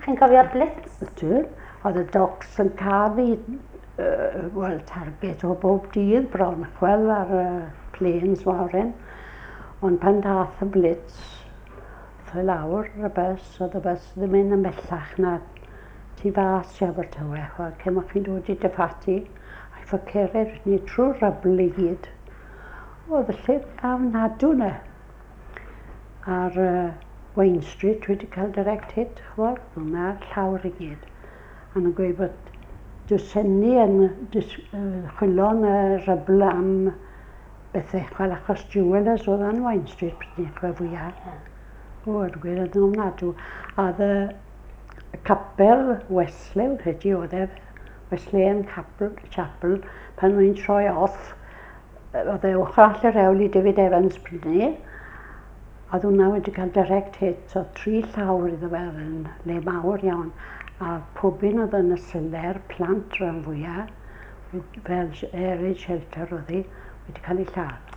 Chi'n cofio'r Blitz? Ydw. Oedd y docks yn cael ei wel, target o bob dydd bron, chwel ar y planes mawr hyn. Ond pan dath y Blitz, aeth o lawr y bus, oedd y bus ddim mynd yn bellach na tu fas i Abertawe, chwel, cyn bod chi'n dod i Dyffati, a ffo cered ni trwy'r rubble i gyd. Oedd y lle ofnadw 'na. Ar Wayne Street wedi cael direct hit, chwel, hwnna'r llawr i gyd. A nhw'n gweud bod dwsenni yn chwilio yn y rubble am bethau, chwel, achos jewellers oedd yn Wayne Street pryd ni, chwel, fwyaf. O, yn gweud oedd yn ofnadw. A oedd y capel Wesley, wrth credu oedd e, Wesleyan Chapel, pan o'n i'n troi off, oedd e ochr arall yr hewl i David Evans pryd ni, a oedd hwnna wedi cael direct hit, so 3 llawr iddo fe, oedd yn le mawr iawn, a pob un oedd yn y seler, plant rhan fwyaf, fel air raid shelter oedd hi, wedi cael ei lladd.